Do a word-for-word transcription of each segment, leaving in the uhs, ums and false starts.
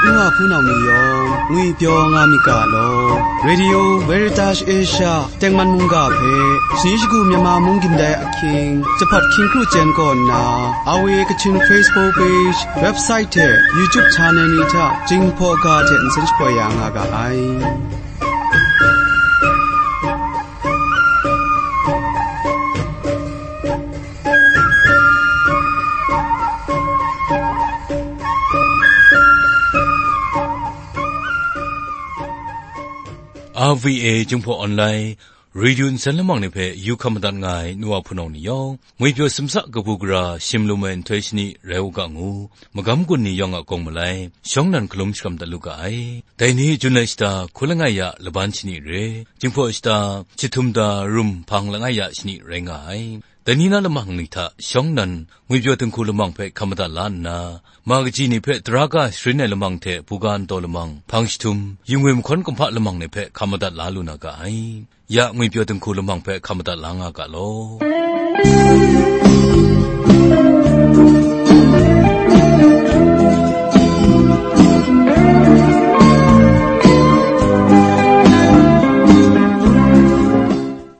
Nwa hpunau ni yawng ngwipyaw nga myit ga law. Radio Veritas Asia tengman mungga hpe, shani shagu Myanmar mung gindai ahkying, Jahpat hkying kru chyen kaw nna, R V A Kachin Facebook page, website hte YouTube channel ni hta Jinghpaw ga hte nsen shapoi ya nga ga ai. R V A Jinghpaw Online Radio nsen lamang ni hpe yu hkam madat nga ai nu wa hpunau ni yawng, ngwipyaw simsa kabu gara shim lum ai nhtoi shani rai u ga ngu, magam gun ni yawng a kawng malai, shawng nan hkalum shakram dat lu ga ai. Dai ni Jun ai shata, hku langai ya laban shani re, Jinghpaw shata, jahtum da rum hpang langai ya shani rai nga ai. Dai ni na lamang ni hta shawng nan, ngwipyaw dinghku lamang hpe hkam madat la nna, ma kaji ni hpe tara ga sharin ai lamang hte buga ntaw lamang, hpang jahtum, yu ngwi mahkawn kumhpa lamang ni hpe hkam madat la lu na ga ai. Ya ngwipyaw dinghku lamang hpe hkam madat la nga ga law.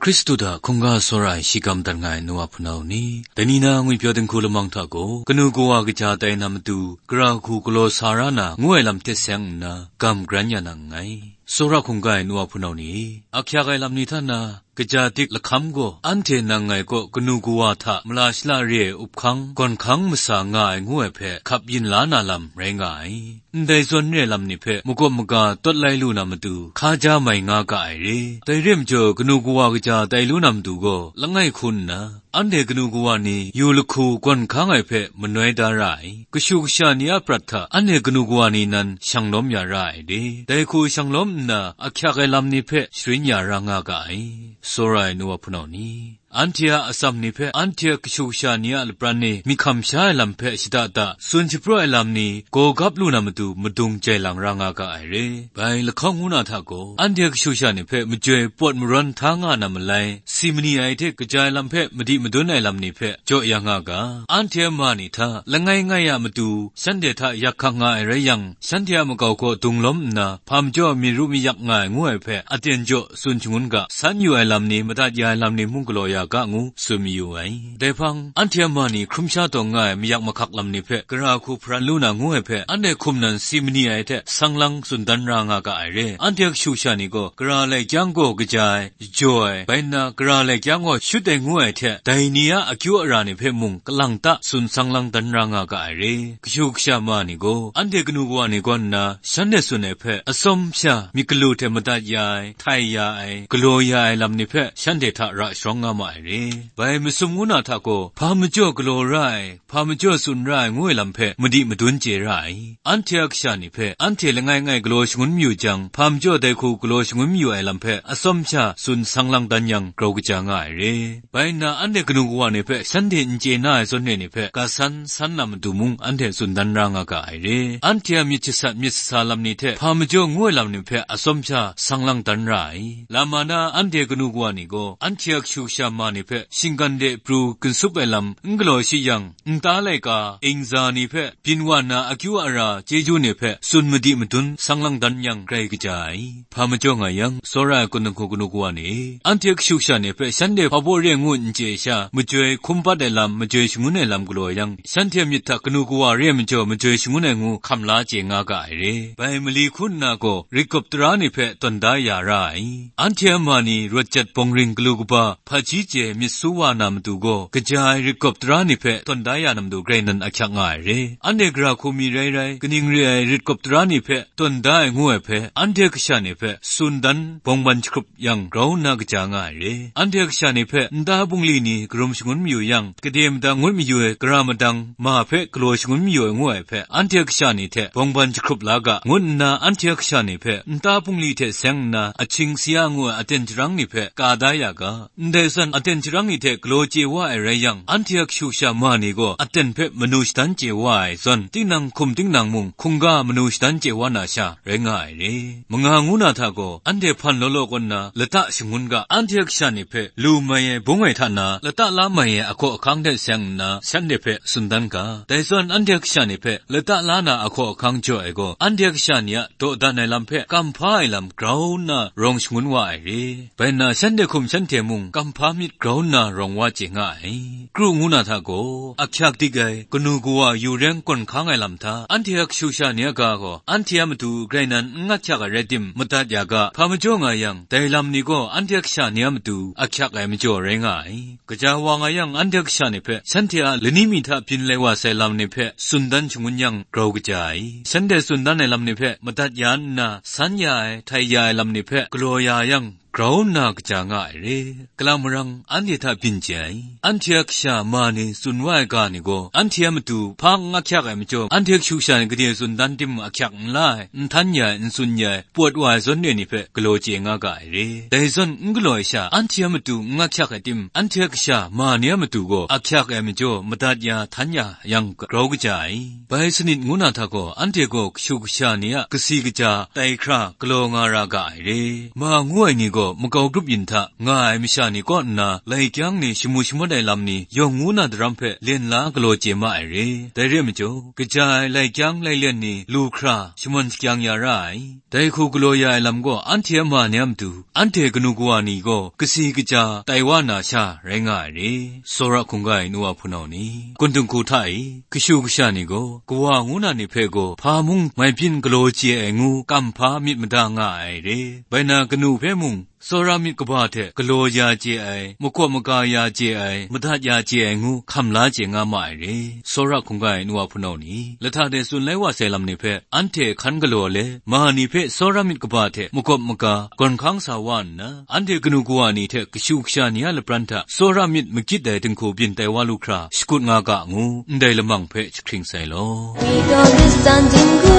Hkristu hta hkungga tsawra ai shi ga madat nga ai nu wa hpunau ni, dai ni na ngwipyaw dinghku lamang hta gaw, kanu kawa kaja tai na matu, gara hku galaw sa ra na ngu ai lam hte seng nna, gam garan ya na nngai. Tsawra hkungga ai nu wa hpunau ni, ahkyak ai lam ni hta na, kaja dik lahkam gaw, anhte nang ngai kaw kanu kawa hta mala shala re ai up hkang, gawn hkang masa nga ai ngu ai hpe hkap yin la na lam rai nga ai. Ndai zawn re ai lam ni hpe makawp maga tawt lai lu na matu, hka ja mai nga ga ai re. Dai re ai majaw, kanu kawa kaja tai lu na matu gaw, langai hku nna, anhte kanu kawa ni yu lahku gawn hkang ai hpe manoi da ra ai. Kashu kasha ni a prat hta anhte kanu kawa ni nan shang lawm ya ra ai re. Dai hku shang lawm nna, ahkyak ai lam ni hpe sharin ya ra nga ga ai. Tsawra ai nu wa hpunau ni, anhte a atsam ni hpe, anhte a kashu kasha ni a lapran e myit hkam sha ai lam hpe shada da tsun shapraw ai lam ni gaw gap lu na matu madung jai lang ra nga ga ai re. Bai lahkawng ngu na hta gaw, anhte kashu kasha ni hpe majoi pawt maran hta nga na malai, si mani ai hte kaja ai lam hpe madi madun ai lam ni hpe jaw ya nga ga, anhte a ma ni hta langai ngai a matu shanhte hta yak hkak nga ai rai yang, shanhte a makau kaw dung lawm nna, hpa majaw mi ru mi yak nga ai ngu ai hpe aten jaw tsun shangun ga, san yu ai lam ni, madat ya ai lam ni mung galaw ya ga ngu tsun mayu ai. Dai hpang, anhte a ma ni hkrum sha tawn nga ai mayak mahkak lam ni hpe gara hku hparan lu na ngu ai hpe, anhte hkum nan si mani ai hte sang lang tsun dan ra nga ga ai re. Anhte kashu kasha ni gaw, gara lai kyang gaw kaja ai, jaw ai, bai nna gara lai kyang gaw shut ai ngu ai hte, dai ni a akyu ara ni hpe mung kalang ta tsun sang lang dan ra nga ga ai re. Kashu kasha ma ni gaw, anhte kanu kawa ni kaw nna, shanhte tsun ai hpe, atsawm sha myit galu hte madat ya ai, htai ya ai, galaw ya ai lam ni hpe, shanhte hta ra sharawng nga ma ai re. Bai masum ngu na hta gaw, hpa majaw galaw ra ai, hpa majaw tsun ra ai ngu ai lam hpe madi madun chye ra ai. Anhte a kasha ni hpe, anhte langai ngai galaw shangun mayu jang, hpa majaw dai hku galaw shangun mayu ai lam hpe atsawm sha tsun sang lang dan yang grau kaja nga ai re. Bai nna anhte kanu kawa ni hpe shanhte n chye na ai zawn re ni hpe ga san san na matu mung anhte tsun dan ra nga ga ai re. Anhte a myit jasat myit sasa lam ni hte hpa majaw ngu ai lam ni hpe atsawm sha sang lang dan ra ai. Lama na anhte kanu kawa ni gaw anhte a kashu kasha ma ni hpe shinggan de pru ginsup ai lam n galaw shi yang, nta laika, ingza ni hpe, byin wa na akyu ara chyeju ni hpe tsun madi madun sang lang dan yang grai kaja ai. Hpa majaw nga yang, tsawra ai kun dinghku kanu kawa ni, anhte kashu kasha ni hpe shanhte hpa baw re ngu n chye sha, majoi hkum bat ai lam, majoi shangun ai lam galaw yang, shanhte myit hta kanu kawa re ai majaw majoi shangun ai ngu hkam la chye nga ga ai re. Bai mali hku nna gaw, rit gawp tara ni hpe tawn da ya ra ai. Anhte a ma ni rawt jat bawng ring galu kaba, hpaji chye myit su wa na matu gaw, kaja ai rit gawp tara ni hpe tawn da ya na matu grai nan ahkyak nga ai re. Anhte gara hku mi rai rai, kaning re ai rit gawp tara ni hpe tawn da ai ngu ai hpe, anhte kasha ni hpe tsun dan bawng ban jahkrup yang grau nna kaja nga ai re. Anhte kasha ni hpe nta bungli ni karum shangun mayu yang, kade madang ngut mayu ai gara madang ma hpe galaw shangun mayu ai ngu ai hpe, anhte kasha ni hte bawng ban jahkrup la ga, ngut nna anhte kasha ni hpe nta bungli hte seng nna ahkying sara ngu ai aten jarang ni hpe ka da ya ga, ndai zawn aten sharang ni hte galaw chye wa ai rai yang, anhte a kashu kasha ma ni gaw aten hpe manu shadan chye wa ai zawn, tinang hkum tinang mung hkungga manu shadan chye wa na sha rai nga ai re. Manga ngu na hta gaw, anhte hpan law law kaw nna lata shangun ga, anhte a kasha ni hpe lu mai ai bung ai hta na, lata la mai ai ahkaw ahkang hte seng nna, shanhte hpe tsun dan ga. Dai zawn anhte a kasha ni hpe lata la na ahkaw ahkang jaw ai gaw, anhte a kasha ni a dawdan ai lam hpe kamhpa ai lam grau nna rawng shangun wa ai re. Bai nna shanhte hkum shanhte mung kamhpa myit grau nna rawng wa chye nga ai. Kru ngu na hta gaw, ahkyak dik ai, kanu kawa yu reng gawn hkang ai lam hta, anhte a kashu kasha ni a ga gaw, anhte a matu grai nan n ahkyak ai rai tim, madat ya ga, hpa majaw nga yang, dai lam ni gaw anhte a kasha ni a matu ahkyak ai majaw rai nga ai. Kaja wa nga yang, anhte a kasha ni hpe, shanhte a lani mi hta byin lai wa sai lam ni hpe tsun dan shangun yang, grau kaja ai. Shanhte tsun dan ai lam ni hpe madat ya nna, san ya ai, htai ya ai lam ni hpe galaw ya yang, grau nna kaja nga ai re. Kalang marang anhte hta byin chye ai. Anhte a kasha ma ni tsun wa ai ga ni gaw, anhte a matu hpa n ahkyak ai majaw, anhte kashu kasha ni gade tsun dan tim ahkyak n la ai, n htan ya ai, n tsun ya ai, pawt wa ai zawn re ni hpe galaw chye nga ga ai re. Dai zawn n galaw ai sha, anhte a matu n ahkyak ai tim, anhte a kasha ma ni a matu gaw ahkyak ai majaw, madat ya, htan ya yang grau kaja ai. Bai sanit ngu na hta gaw, anhte gaw kashu kasha ni a kasi kaja tai hkra galaw nga ra ga ai re. Ma ngu ai ni gaw makau grup yin hta nga ai masha ni kaw nna, lai kyang ni shamu shamawt ai lam ni yawng ngu na daram hpe len la galaw chye ma ai re. Dai re ai majaw, kaja ai lai kyang lai len ni lu hkra shaman shakyang ya ra ai. Dai hku galaw ya ai lam gaw, anhte a ma ni a matu, anhte kanu kawa ni gaw kasi kaja tai wa na sha rai nga ai re. Tsawra hkungga ai nu wa hpunau ni, kun dinghku hta e, kashu kasha ni gaw, kawa ngu na ni hpe gaw hpa mung mai byin galaw chye ai ngu, kamhpa myit mada nga ai re. Bai na kanu hpe mung, tsawra myit kaba hte galaw ya chye ai, makawp maga ya chye ai, madat ya chye ai ngu, hkam la chye nga ma ai re. Tsawra hkungga ai nu wa hpunau ni, lahta de tsun lai wa sai lam ni hpe, anhte hkan galaw le, ma ni hpe tsawra myit kaba hte makawp maga gawn hkang sa wa nna, anhte kanu kawa ni hte kashu kasha ni a lapran hta tsawra myit magit ai dinghku byin tai wa lu hkra shakut nga ga ngu, ndai lamang hpe jahkring sai law. Ni gaw lit san dinghku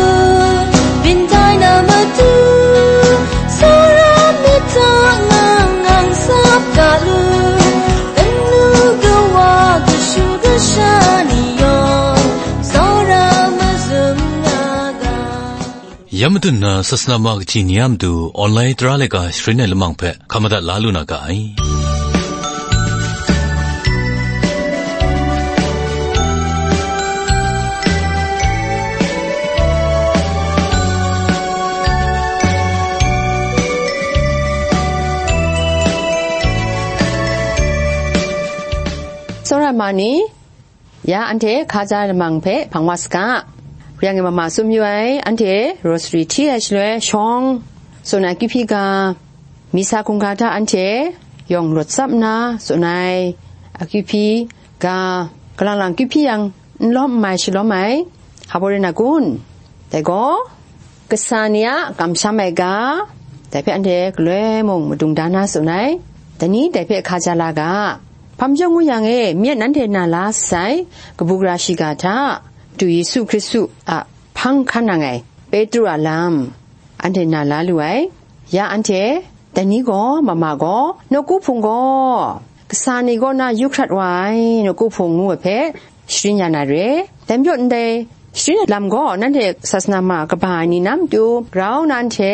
byin tai na matu, tsawra myit hta ngang ngang sap ga lu, kanu kawa kashu kasha ni yawng tsawra mazum nga ga. Ya matut na sasana ma kaji ni a matu online tara laika sharin ai lamang hpe hkam madat la lu na ga ai. Tsawra ma ni, ya anhte hkaja lamang hpe hpang wa saga. Yang e mama tsun mayu ai, anhte rosary hti ai shaloi shawng tsun ai akyu hpyi ga, misa hkungga hta anhte yawng rawt tsap nna tsun ai akyu hpyi ga, kalang lang akyu hpyi yang n lawm n mai shalawm ai, hpa rai na kun? Dai gaw, kasa ni a kamsham ai ga, dai hpe anhte galoi mung madung da na tsun ai, dai ni dai hpe hkaja la ga. Hpa majaw ngu yang e, myit nanhte na la sai, kabu gara shiga hta, Madu Yesu Hkristu a hpang hkan nang ai, Petru a lam, anhte na la lu ai. Ya anhte, dai ni gaw, mama gaw, nawku hpung gaw, kasa ni kaw na yu hkrat wa ai, nawku hpung ngu ai hpe, sharin ya na re. Dai majaw ndai sharin ai lam gaw nanhte sasana ma kaba ai ni na matu grau nna anhte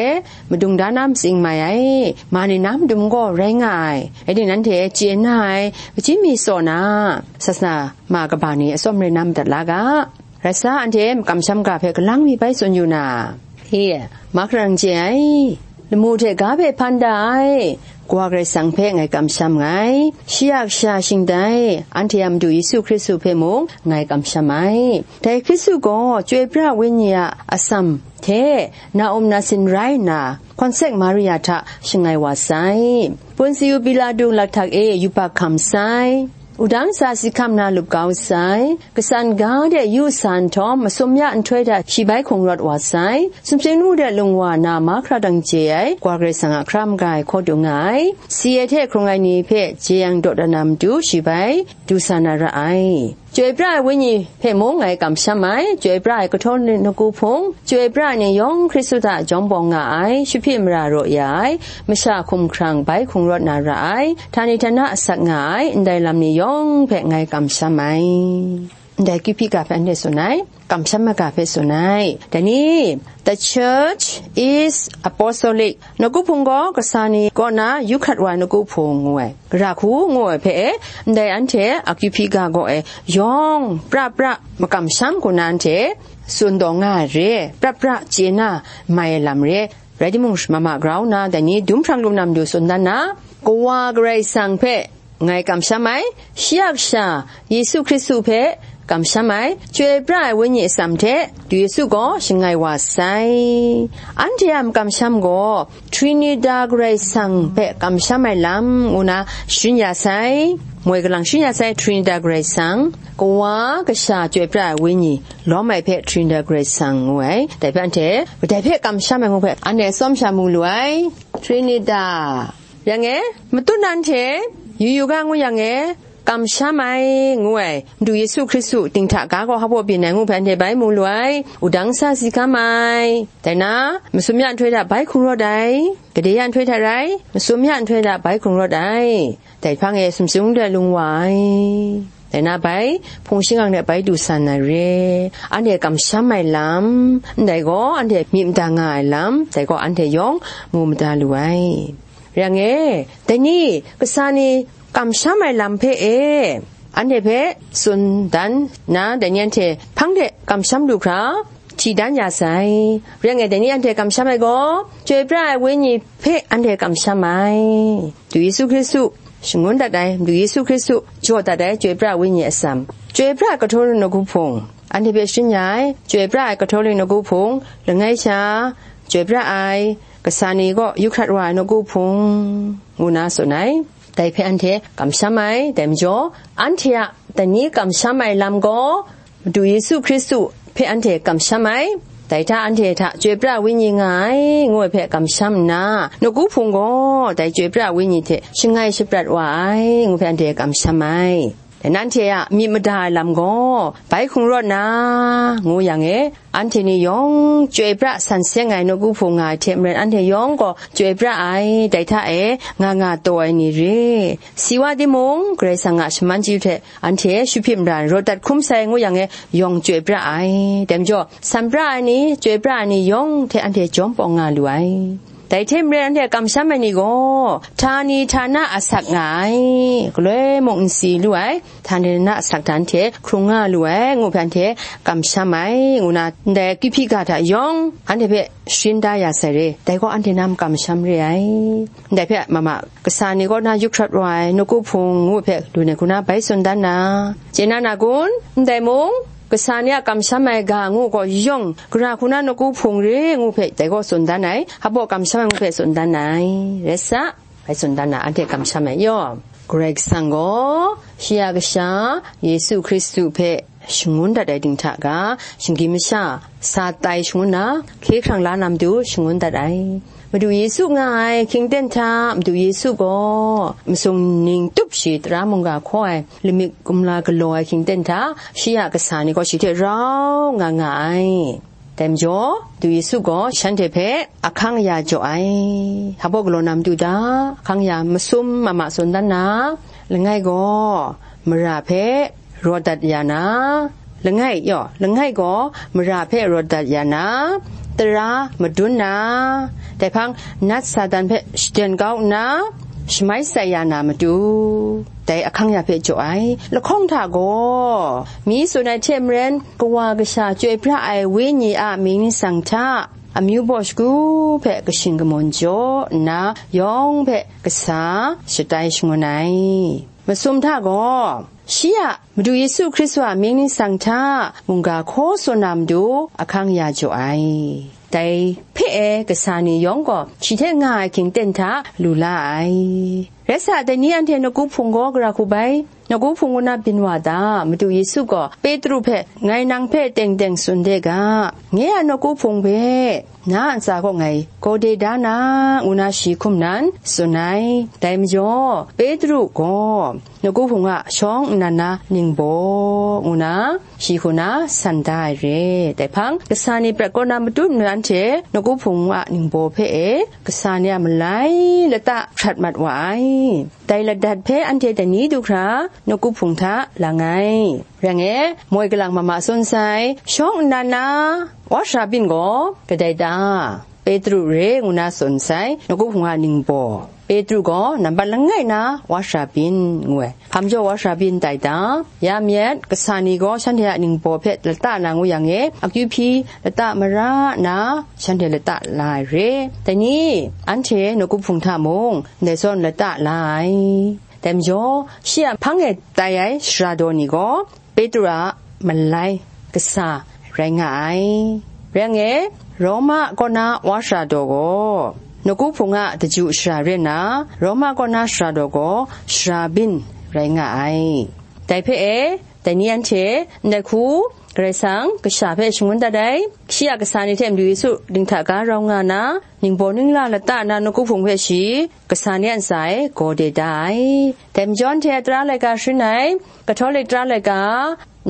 madung da na matsing mai ai, ma ni na matu gaw rai nga ai. Rai timung, nanhte chye na ai, kaji mi tsaw na, sasana ma kaba ni atsawm rai na madat la ga. Rai sa, anhte kamsham ga hpe galang mi bai tsun yu na, e, Mahkra Dang Je ai, lamu hte ga hpe hpan da ai, Kawa Karai Kasang hpe ngai kamsham nngai. Shi a kasha shingtai, anhte a Madu Yesu Hkristu hpe mung ngai kamsham ai. Dai Hkristu gaw Chyoi pra Wenyi a atsam hte na-um nasin rai nna, Hkawnsek Maria hta shangai wa sai. Ponsiu Pilatu lathak e yubak hkam sai. Wudang sa si hkam na lup kau sai. Kasan ga de yu sa nhtawm, masum ya nhtoi hta shi bai hkung rawt wa sai. Sumsing lamu de lung wa na mahkra dang je ai, Kawa Karai Kasang a hkra maga ai hkaw dung nga ai. Si ai hte hkrung ai ni hpe jeyang dawdan na matu shi bai du sa na ra ai. Chyoi pra ai Wenyi hpe mung ngai kamsham ai, chyoi pra ai kahtawng ni nawku hpung, chyoi pra ai ni yawng Hkristu hta jawm bawng nga ai, shahpyi mara raw ya ai, masha hkumhkrang bai hkrung rawt na ra ai, htani htana asak nga ai, ndai lam ni yawng hpe ngai kamsham ai. Ndai Kawhpyi ga hpe anhte tsun ai, kamsham ai ga hpe tsun ai. Dai ni, The church is apostolic. Nawku hpung gaw kasa ni kaw na yu hkrat wa ai nawku hpung ngu ai. Gara hku ngu ai hpe e, ndai anhte a Kawhpyi ga gaw e, yawng pra pra makamsham hku na anhte tsun taw nga ai re, pra pra chye na mai ai lam re. Rai timung, mama grau nna, dai ni dum hprang lu na matu tsun dan na, Kawa Karai Kasang hpe ngai kamsham ai, shi a Kasha Yesu Hkristu hpe kamsham ai, chyoi pra ai Wenyi atsam hte du Yesu gaw shangai wa sai. Anhte a makamsham gaw Trinita Karai Kasang hpe kamsham ai lam ngu na sharin ya sai, moi kalang sharin ya sai, Trinita Karai Kasang, Kawa, Kasha, chyoi pra ai Wenyi, lawm ai hpe Trinita Karai Kasang ngu ai. Dai hpe anhte kadai hpe kamsham ai ngu hpe anhte tsawm sha mu lu ai. Trinita. Yang e, matut na anhte yu yu ga ngu yang e, kamsham ai ngu ai, Madu Yesu Hkristu dinghta ga gaw hpa byin ai ngu hpe anhte bai mu lu ai, wudang sa si hkam ai. Dai na, masum ya nhtoi hta bai hkrung rawt ai, gade ya nhtoi hta rai, masum ya nhtoi hta bai hkrung rawt ai. Dai hpang e sumsing de lung wa ai. Dai na bai, hpung shingkang de bai du san ai re, anhte kamsham ai lam, ndai gaw anhte myit mada nga ai lam, dai gaw anhte yawng mu mada lu ai. Rai yang e, dai ni, kasa ni kamsham ai lam hpe e, anhte hpe tsun dan na, dai ni anhte hpang de kamsham lu hkra, hti dan ya sai. Rai yang e, dai ni anhte kamsham ai gaw, chyoi pra ai Wenyi hpe anhte kamsham ai. Madu Yesu Hkristu shangun dat ai, Madu Yesu Hkristu jaw dat ai, chyoi pra ai Wenyi atsam. Chyoi pra ai Katolik nawku hpung, anhte hpe sharin ya ai, chyoi pra ai Katolik nawku hpung, langai sha, chyoi pra ai, kasa ni kaw yu hkrat wa ai nawku hpung, ngu na tsun ai. Dai hpe anhte kamsham ai, dai majaw, anhte a dai ni kamsham ai lam gaw, Madu Yesu Hkristu hpe anhte kamsham ai, dai hta anhte hta chyoi pra ai Wenyi nga ai, ngu ai hpe kamsham nna, nawku hpung gaw dai chyoi pra ai Wenyi hte shangai shaprat wa ai, ngu hpe anhte kamsham ai. Dai na anhte a myit mada ai lam gaw, bai hkrung rawt na, ngu yang e, anhte ni yawng chyoi pra san seng ai nawku hpung nga ai hte maren, anhte yawng gaw chyoi pra ai, dai hta e nga nga taw ai ni re. Si wa timung, Karai Kasang a shaman chyu hte anhte shahpyi mara rawt dat hkrum sai ngu yang e, yawng chyoi pra ai. Dai majaw, san pra ai ni, chyoi pra ai ni yawng hte anhte jawm bawng nga lu ai. Dai hte maren anhte kamsham ai ni gaw, htani htana asak nga ai, galoi mung n si lu ai, htani htana asak hta anhte hkrung nga lu ai, ngu hpe anhte kamsham ai, ngu na, ndai Kawhpyi ga hta yawng anhte hpe sharin da ya sai re, dai gaw anhte na makamsham re ai. Ndai hpe mama kasa ni kaw na yu hkrat wa ai nawku hpung ngu hpe lu ai hku na bai tsun dan na, chye na na kun? Ndai mung, kasa ni a kamsham ai ga ngu gaw yawng, gara hku na nawku hpung re ngu hpe dai gaw tsun dan ai, hpa baw kamsham ai ngu hpe tsun dan ai, rai sa, bai tsun dan na, anhte kamsham ai yaw. Karai Kasang gaw, shi a Kasha, Yesu Hkristu hpe shangun dat ai dinghta ga, shinggyim masha, sa tai shangun na, hkye hkrang la na matu shangun dat ai. Madu Yesu nga ai hkying ten hta, Madu Yesu gaw masum ning tup shi tara mungga hkaw ai lamik kumla galaw ai hkying ten hta, shi a kasa ni gaw shi hte rau nga nga ai. Dai majaw, Madu Yesu gaw shanhte hpe ahkang aya jaw ai. Hpa baw galaw na matu da, ahkang aya masum mama tsun dan na, langai gaw mara hpe rawt dat ya na, langai yaw, langai gaw mara hpe rawt dat ya na, tara madun na, dai hpang nat Satan hpe shaden kau nna, shamai shatsai ya na matu, dai ahkang ya hpe jaw ai. Lahkawng hta gaw, mi tsun ai hte maren, Kawa Kasha chyoi pra ai Wenyi a mying ningsang hta, amyu baw shagu hpe kashing kamawn jaw nna, yawng hpe kasa shatai shangun ai. Masum hta gaw, shi a Madu Yesu Hkristu a mying ningsang hta mungga hkaw tsun na matu ahkang ya jaw ai. Dai hpe e kasa ni yawng gaw shi hte nga ai hkying ten hta lu la ai. Rai sa, dai ni anhte nawku hpung gaw gara hku bai, nawku hpung ngu na byin wa ta? Madu Yesu gaw Petru hpe, "Ngai nang hpe teng teng tsun de ga, nye a nawku hpung hpe na a ntsa kaw ngai gaw de da na, ngu na shi hkum nan tsun ai. Dai majaw, Petru gaw nawku hpung a shawng nnan na ningbaw, ngu na shi hku na san da ai re. Dai hpang, kasa ni prat kaw na matut nnan hte nawku hpung a ningbaw hpe e, kasa ni a malai lata hprat mat wa ai. Dai ladat hpe anhte dai ni du hkra nawku hpung hta lang ai. Rai ngai, moi kalang mama tsun sai, shawng nnan na wa sara byin gaw kadai ta? Petru re ngu na tsun sai, nawku hpung a ningbaw. Petru gaw nambat langai na wa sara byin, ngu ai. Hpa majaw wa sara byin tai ta? Ya myit, kasa ni gaw shanhte a ningbaw hpe lata na ngu yang e, akyu hpyi lata mara na shanhte lata la ai re. Dai ni, anhte nawku hpung hta mung ndai zawn lata la ai. Dai majaw, shi a hpang e tai ai sara daw ni gaw, Petru a malai kasa rai nga ai. Rai ngai, Roma kaw na wa sara daw gaw, nawku hpung a daju sara re nna, Roma kaw na sara daw gaw, sara byin rai nga ai. Dai hpe e, dai ni anhte, ndai hku, Karai Kasang, kasha hpe shangun dat ai, shi a kasa ni hte Madu Yesu dinghta ga rau nga na, ningbaw ningla lata na nawku hpung hpe shi, kasa ni a ntsa e gaw de da ai. Dai majaw anhte a tara laika sharin ai, Catholic tara laika,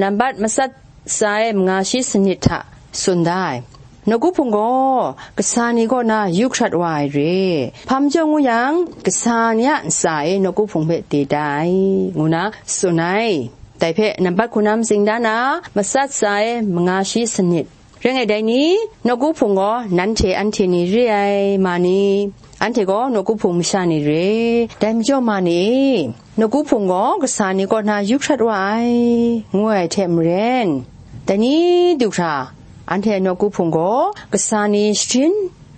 nambat matsat tsa e manga shi sanit hta tsun da ai. Nawku hpung gaw kasa ni kaw na yu hkrat wa ai re. Hpa majaw ngu yang, kasa ni a ntsa e nawku hpung hpe de da ai, ngu na tsun ai. Dai hpe nambat hku na matsing da na, matsat tsa e manga shi sanit. Rai ngai, dai ni, nawku hpung gaw nanhte anhte ni re ai, ma ni? Anhte gaw nawku hpung masha ni re. Dai majaw, ma ni, nawku hpung gaw kasa ni kaw na yu hkrat wa ai, ngu ai hte maren, dai ni du hkra, anhte nawku hpung gaw kasa ni sharin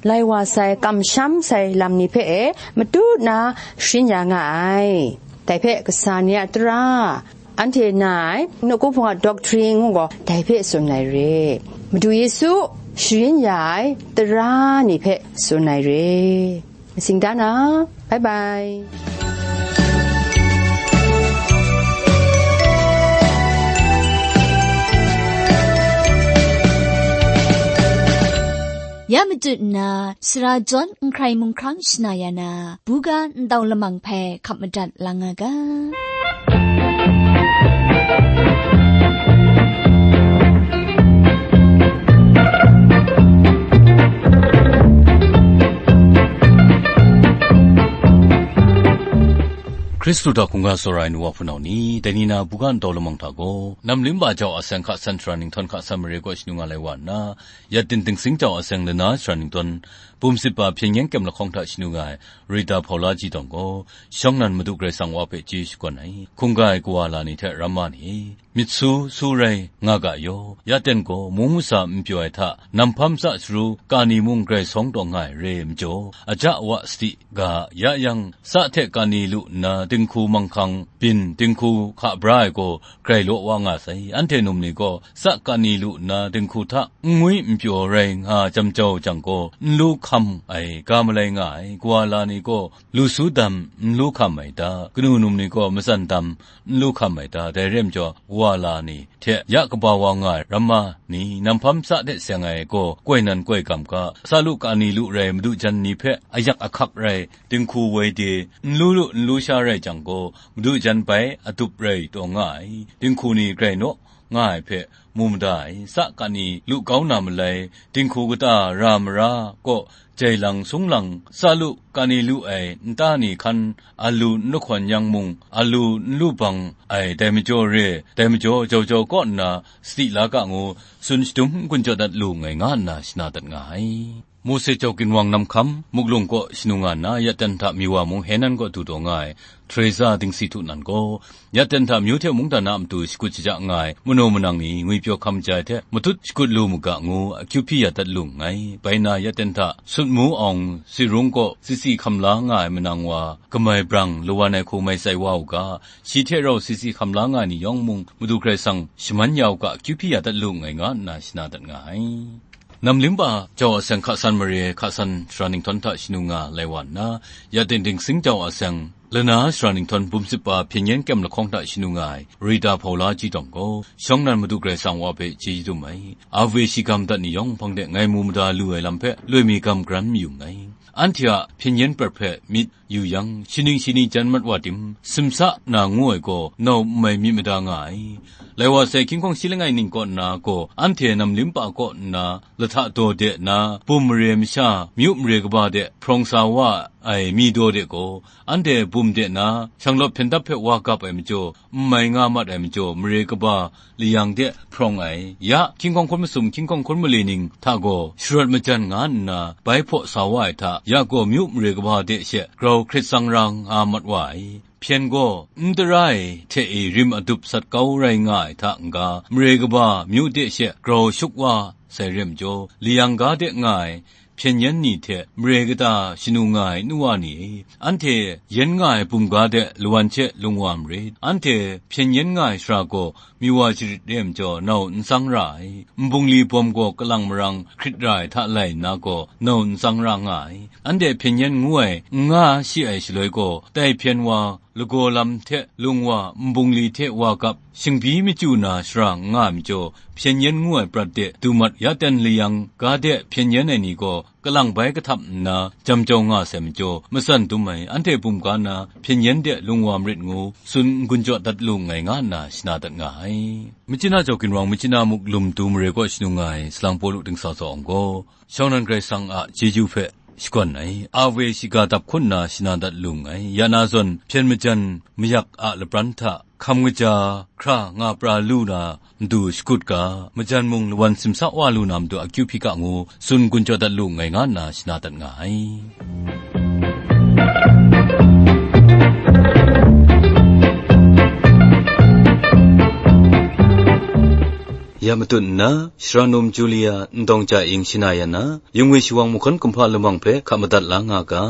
lai wa sai, kamsham sai lam ni hpe e matut na sharin ya nga ai. Dai hpe kasa ni a tara, anhte na ai nawku hpung a doctrine ngu gaw, dai hpe tsun ai re. Madu Yesu sharin ya ai tara ni hpe tsun ai re. Matsing da na, bye bye. Ya matut nna, sara jawn n hkrai mung hkrang shana ya na, buga ntau lamang hpe hkap madat lang nga ga. Hkristu hta hkungga tsawra ai nu wa hpunau ni, dai ni na buga ntau lamang hta gaw, nam limba jau a seng hka san shara ninghtawn hka san mare kaw shanu nga lai wa nna, Yaten dingsing jau a seng lana shara ninghtawn, bum sit ba hpyen yen kyem lahkawng hta shanu nga ai Rita Hpaula Ji Tawng gaw, shawng nnan Madu Karai Kasang wa hpe chyeju shakawn ai, hkungga ai kawa la ni hte ramma ni, myit su, su rai nga ga yaw, yaten gaw mung masa n pyaw ai hta, nam hpam tsa sharu, kani mung grai sawng taw nga ai re ai majaw, aja wa sadi ga, ya yang, tsa hte kani lu nna dinghku manghkang byin dinghku hka bra ai gaw grai law wa nga sai. Anhte num ni gaw tsa kani lu nna dinghku hta n ngwi n pyaw rai nga jam jau jang gaw, n lu hkam ai ga malai nga ai, kawa la ni gaw lu su dam n lu hkam ai ta? Kanu num ni gaw matsan dam n lu hkam ai ta? Dai re ai majaw, kawa la ni hte ya kaba wa nga ai ramma ni, nam hpam tsa hte seng ai gaw koi nan koi gam ga, tsa lu kani lu rai madu jan ni hpe ayak ahkak rai, dinghku woi de, n lu lu n lu sha rai jang gaw, madu jan bai adup rai taw nga ai, dinghku ni grai naw nga ai hpe mu mada ai, tsa kani lu kau na malai, dinghku kata ra mara kaw jai lang sung lang, tsa lu kani lu ai nta ni hkan alu n lahkawn yang mung, alu n lu bang ai, dai majaw re, dai majaw jau jau kaw nna sadi la ga ngu, tsun shadum n-gun jaw dat lu nngai nga nna shana dat nga ai. Mose jau ginwang nam hkam, muklung kaw shanu nga nna, yaten hta mi wa mung Henan kaw du taw nga ai, Teresa dingsi htu nan gaw, yaten hta myu hte mungdan a matu shakut shaja nga ai, manaw manang ni ngwipyaw hkam jai hte matut shakut lu mu ga ngu, akyu hpyi ya dat lu nngai. Bai na, yaten hta Sutmu Awng Sirung kaw sisi hkam la nga ai manang wa, kamai brang lawan ai hku mai tsai wa u ga, shi hte rau sisi hkam la nga ai ni yawng mung, Madu Karai Kasang shaman ya u ga, akyu hpyi ya dat lu nngai nga nna shana dat nga ai. Nam limba jau a seng hka san mare, hka san shara ninghtawn hta shanu nga lai wa nna, yaten dingsing jau a seng Lana sara ninghtawng bum sip pa hpyen yen kyem lahkawng hta shanu nga ai Rita Hpaula chyawm gaw, shawng nnan Madu Karai Kasang wa hpe chyeju dum ai. Ave shiga madat ni yawng hpang de ngai mu mada lu ai lam hpe loi mi gam garan mayu nngai. Anhte a hpyen yen prat hpe myit yu yang, shi ning shi ni jan mat wa tim, simsa na ngu ai gaw nau n mai myit mada nga ai. Lai wa sai, hkying hkawng shi langai ning kaw nna gaw, anhte namlim pa kaw nna lahta daw de nna, bum mare masha, myu mare kaba de hprawng sa wa ai mi daw de gaw, anhte bum de na, shanglawt hpyen dap hpe wa gap ai majaw, n mai nga mat ai majaw, mare kaba layang de hprawng ai. Ya, hkying hkawng hkun masum, hkying hkawng hkun mali ning hta gaw sharawt majan nga nna, bai hpaw sa wa ai hta, ya gaw myu mare kaba de she grau hkrit tsang ra nga mat wa ai. Hpyen gaw n tara ai hte e rim adup sat kau rai nga ai hta n-ga, mare kaba myu de she grau shuk wa sai re majaw, layang ga de nga ai hpyen yen ni hte mare kata shanu nga ai nu wa ni e, anhte yen nga ai bum ga de lawan hte lung wa marit. Anhte hpyen yen nga ai shara gaw mi wa sharit re ai majaw, nau n tsang ra ai. Nbungli bawm gaw kalang marang hkrit ra ai hta lai nna gaw, nau n tsang ra nga ai. Anhte hpyen yen ngu ai n nga shi ai shaloi gaw, tai hpyen wa lagaw lam hte lung wa, nbungli hte wa gap, shingbyi machyu na shara n nga ai majaw, hpyen yen ngu ai prat de du mat ya ten layang ga de hpyen yen ai ni gaw, kalang bai kahtap nna jam jau nga sai majaw, matsan dum ai, anhte bum ga na hpyen yen de lung wa marit ngu, tsun n-gun jaw dat lu nngai, nga nna shana dat nga ai. Machyin a jau ginwang, machyin a muk lum du mare kaw shanu nga ai salang Pawlu dingsa tsawng gaw, shawng nnan Karai Kasang a chyeju hpe shakawn ai, Ave shiga dap hkun nna shana dat lu nngai. Ya na zawn, hpyen majan mayak a lapran hta hkam kaja hkra nga pra lu na matu shakut ga, majan mung lawan simsa wa lu na matu akyu hpyi ga ngu, tsun n-gun jaw dat lu nngai, nga nna shana dat nga ai. Ya matut nna, Shara Num Julia Ndawng Ja Ing shana ya na, Yung ngwi shawang mahkawn kumhpa lamang hpe hka madat la nga ga.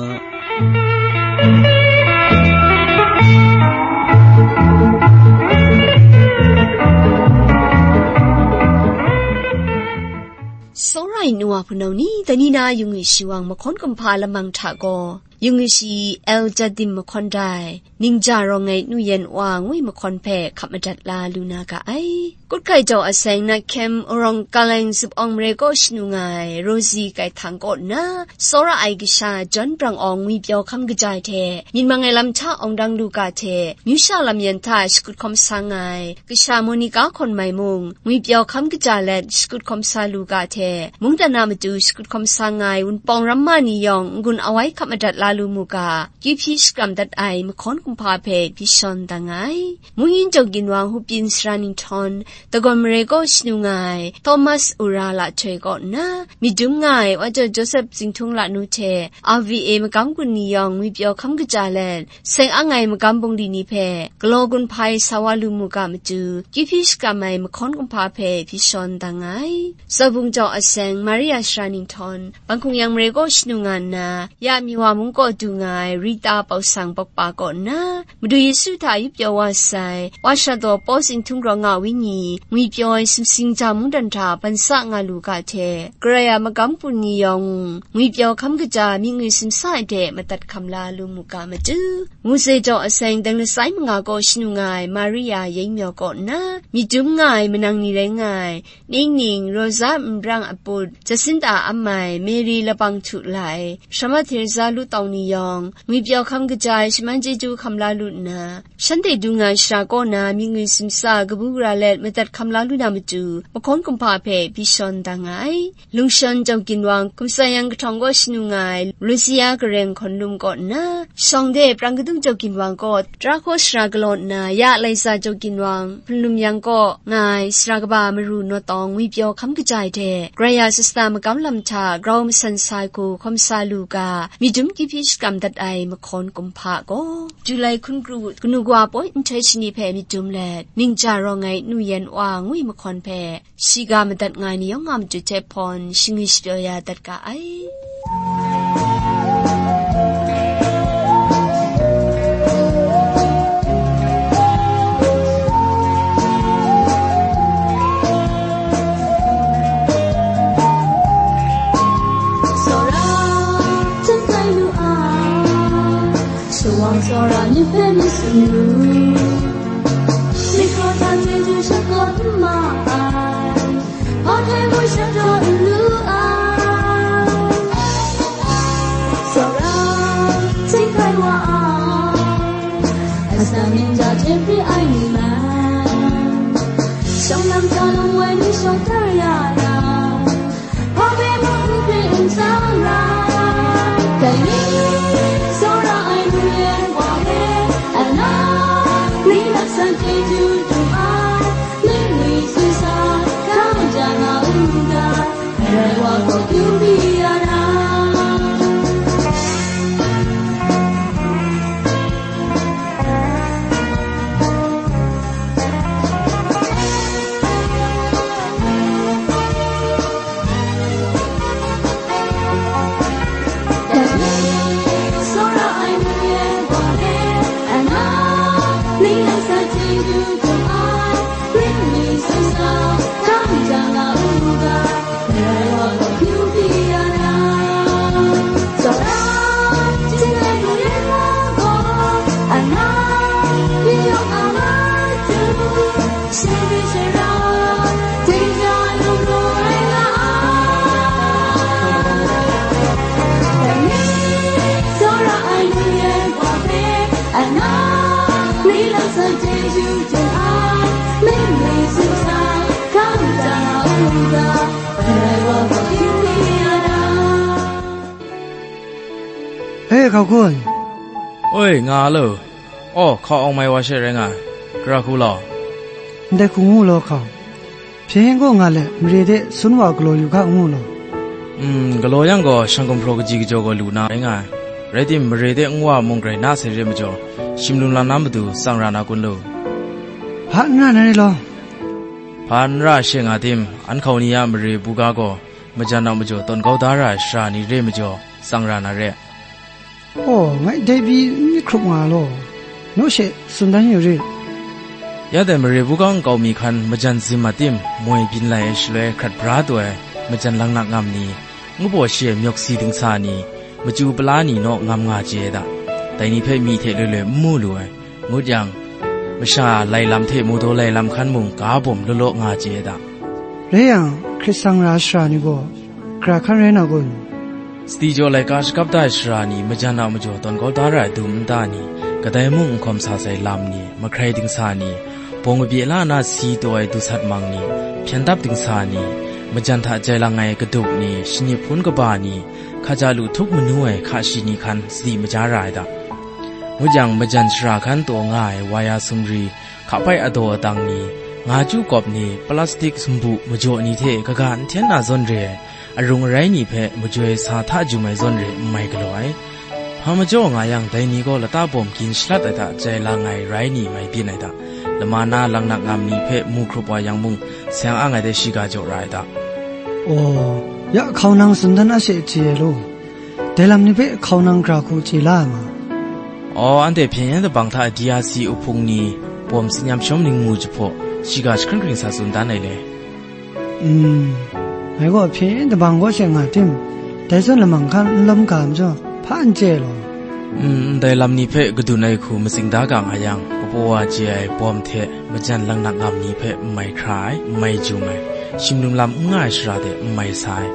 Tsawra ai nu wa hpunau ni, dai ni na yung ngwi shawang mahkawn kumhpa lamang hta gaw, yung ngwi shi El Jadim mahkawn dai, Ningja rawng ai nu yen wa ngwi mahkawn hpe hka madat la lu na ga ai. Kut hkai jau a seng na hkyem, Arawng Kaleng zup awng mare kaw shanu nga ai Rosie Gaihthang kaw nna, tsawra ai kasha John Brang Awng ngwipyaw hkam kaja ai hte, myit mang ai lam hta awng dang lu ga hte, myu sha lam yan hta shakut hkawm sa nga ai kasha Monica Hkawn Mai mung, ngwipyaw hkam kaja let shakut hkawm sa lu ga hte, mungdan a matu shakut hkawm sa nga ai Wunpawng Ramma ni yawng n-gun awai hka madat la lu mu ga, kyu hpyi shakram dat ai mahkawn kumhpa hpe hpyi shawn da nga ai. Mungyin Jau Ginwang Hupyin Sara Ninghtawng, Dagawn Mare kaw shanu nga ai Thomas Ura Lahtoi kaw nna, myit dum nga ai Wa Jau Joseph Zingthung Lanu hte R V A magam gun ni yawng ngwipyaw hkam kaja let, seng ang ai magam bungli ni hpe galaw gun hpai sa wa lu mu ga matu, kyu hpyi shakram ai mahkawn kumhpa hpe hpyi shawn da nga ai. Zaubung jau a seng Maria Sara Ninghtawng, Bangkung Yang Mare kaw shanu nga nna, ya Miwa mung kaw du nga ai Rita Pausang Pawkpa kaw nna, Madu Yesu hta yup pyaw wa sai, Wa Shadaw Paw Zingthung Raw Nga Wenyi, ngwipyaw ai sumsing ja mungdan hta ban sa nga lu ga hte, Karai a magam bungli ni yawng, ngwipyaw hkam kaja myit ngwi simsa ai de madat hkam la lu mu ga matu, Muse jau a seng dang lasai manga kaw shanu nga ai Maria Yeng Myaw kaw nna, myit dum nga ai manang ni rai nga ai, Ningning, Rosa Nbrang Aput, Jacinta Amai, Mary Labang Htu Lai, Shama Theresa Lu Tawng ni yawng, ngwipyaw hkam kaja ai shaman chyeju hkam la lu nna, shanhte dung ai shara kaw na myit ngwi simsa kabu gara let madat hkam la lu na matu, mahkawn kumhpa hpe hpyi shawn da nga ai. Lungshawn Jau Ginwang, Kumsa Yang Kahtawng kaw shanu nga ai Lucia Gareng Hkawn Lum kaw nna, shawng de Prang Kadung Jau Ginwang kaw, Tara hkaw sara galaw nna, ya Laisa Jau Ginwang, Hpunlum Yang kaw nga ai sara kaba Maru Naw Tawng ngwipyaw hkam kaja ai hte, Karai a sasta magam lam hta grau masan sa ai hku hkawm sa lu ga, myit dum kyu hpyi shakram dat ai mahkawn kumhpa gaw, Julai hkun kru kanu kawa poi nhtoi shani hpe myit dum let, Ningja rawng ai nu yan wa ngwi mahkawn hpe, shiga madat nga ai ni yawng a matu hte hpawn, shingwi shapyaw ya dat ga ai. Wang tsawra ni hpe mi tsun lu, mikra hta chyeju shakawn n ma ai, hpa hte mung shadaw n lu ai. Tsawra, htingkai wa ai, asak ning ja hte hpri ai ni man, shawng lam hta lung wai ni shawng tar ya na, hpa hpe mung n hpri n tsang ra. Dai ni, tsawra ai hpri ai wa hpe, ana, ni laksan chyeju dum ai, ni ni tsun sa, hkam ja nga u ga, Karai wa gaw kyu pyi ya na. E, hkau kun. Oi, nga lo. Aw, hkau awng mai wa she rai nga ai. Gara hku law. Ndai hku ngu law, hkau. Hpyen gaw nga let, mare de sun wa galaw yu ga ngu law. Mm, galaw yang gaw, shang gumhpraw kaji kajaw gaw lu na rai nga ai. Rai tim, mare de nwa mung grai na sai re majaw, shim lum lam na matu tsang ra na kun lu. Hpa n ra na re law. Hpa n ra she nga tim, an hkau ni a mare buga gaw, majan a majaw tawn kau da ra ai shara ni re majaw, tsang ra na re. Aw, ngai dai pyi n myit hkrup nga law, naw she tsun dan yu rit. Ya dai mare buga nkau mi hkan majan zim a tim, moi byin lai ai shaloi hkrat bra taw ai, majan laknak ngam ni, ngu baw shi ai myawk si dingsa ni, machyu pala ni naw ngam nga chye ai da. Dai ni hpe myi hte loi loi n mu lu ai, ngut yang, masha lai lam hte mawdaw lai lam hkan mung ga bawm law law nga chye ai da. Rai yang, hkrit tsang ra shara ni gaw, gara hkan rai na kun? Sadi jaw laika shakap da ai shara ni, majan a majaw tawn kau da ra ai dum nta ni, kadai mung n hkawm sa sai lam ni, mahkrai dingsa ni, bawng kabye la na si taw ai dusat mang ni, hpyen dap dingsa ni, majan hta jai lang ai kadup ni, shani hpun kaba ni, hkaja lu htup manu ai hka shi ni hkan sadi maja ra ai da. Ngut yang, majan shara hkan taw nga ai waya sumri, hkapai adaw adang ni, nga chyu kawp ni, plastik sumbu majaw ni hte kaga n hten na zawn re ai, arung arai ni hpe majoi sa hta jum ai zawn re n mai galaw ai. Hpa majaw nga yang, dai ni gaw lata bawm gin shalat ai hta jai lang ai rai ni mai byin ai hta, lama na laknak ngam ni hpe mu hkrup wa yang mung, seng ang ai de shiga jaw ra ai hta. Aw, ya hkau nang tsun dan a she chye ai law. Dai lam ni hpe hkau nang gara hku chye la ai ma? Aw, anhte hpyen yen dabang hta D R C uhpung ni bawm tsin yam shawm ningmu jahpaw, shiga jahkring hkring sa tsun dan ai le. Mm, ngai gaw hpyen yen dabang kaw she nga tim, dai zawn lamang hkan n lawm ga majaw, hpa n chye ai law. Mm, ndai lam ni hpe kadun ai hku matsing da ga nga yang, kapaw wa chye ai bawm hte majan laknak ngam ni hpe n mai hkra ai, n mai jum ai, shim lum lam n nga ai shara de n mai sa ai,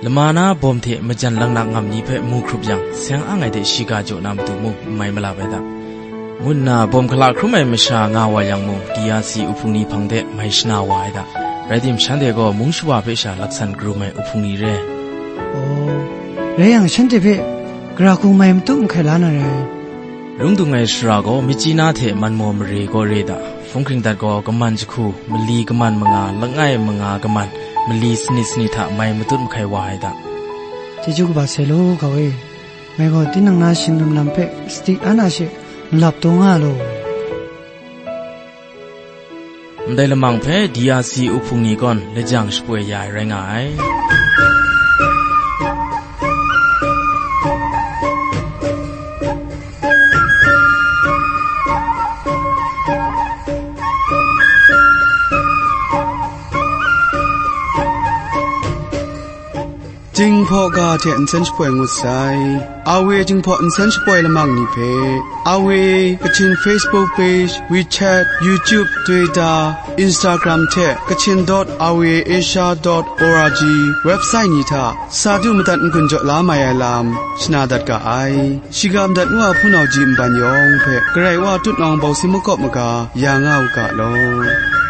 lama na bawm hte majan laknak ngam ni hpe mu hkrup yang, seng ang ai de shiga jaw na matu mung n mai malap ai da, ngu nna bawm hkala hkrum ai masha nga wa yang mung, D R C uhpung ni hpang de mai shana wa ai da. Rai tim, shanhte gaw mung shawa hpe sha laksan karum ai uhpung ni re. Aw, rai yang, shanhte hpe gara hku mai matu mahkai la na rai. Lung dung ai shara gaw, Myitkyina hte Manmaw mare gaw re da, hpung hkring dat gaw, kaman jahku, mali kaman manga, langai manga kaman, mali sanit sanit hta mai matut mahkai wa ai da. Chyeju kaba sai law, hkau e. Ngai gaw tinang na shing lum lam hpe sadi an a she malap taw nga law. Ndai lamang hpe D R C uhpung ni gawn lajang shapoi ya ai rai nga ai. Jinghpaw Ga hte nsen shapoi ngut sai. Awe Jinghpaw nsen shapoi lamang ni hpe, Awe Kachin Facebook page, WeChat, YouTube, Twitter, Instagram hte Kachin dot awe asia dot org website ni hta sa du madat n-gun jaw la mai ai lam shana dat ga ai. Shiga madat nu a hpunau ji nban yawng hpe Karai Wa tutnawng bawsi makawp maga ya nga u ga law.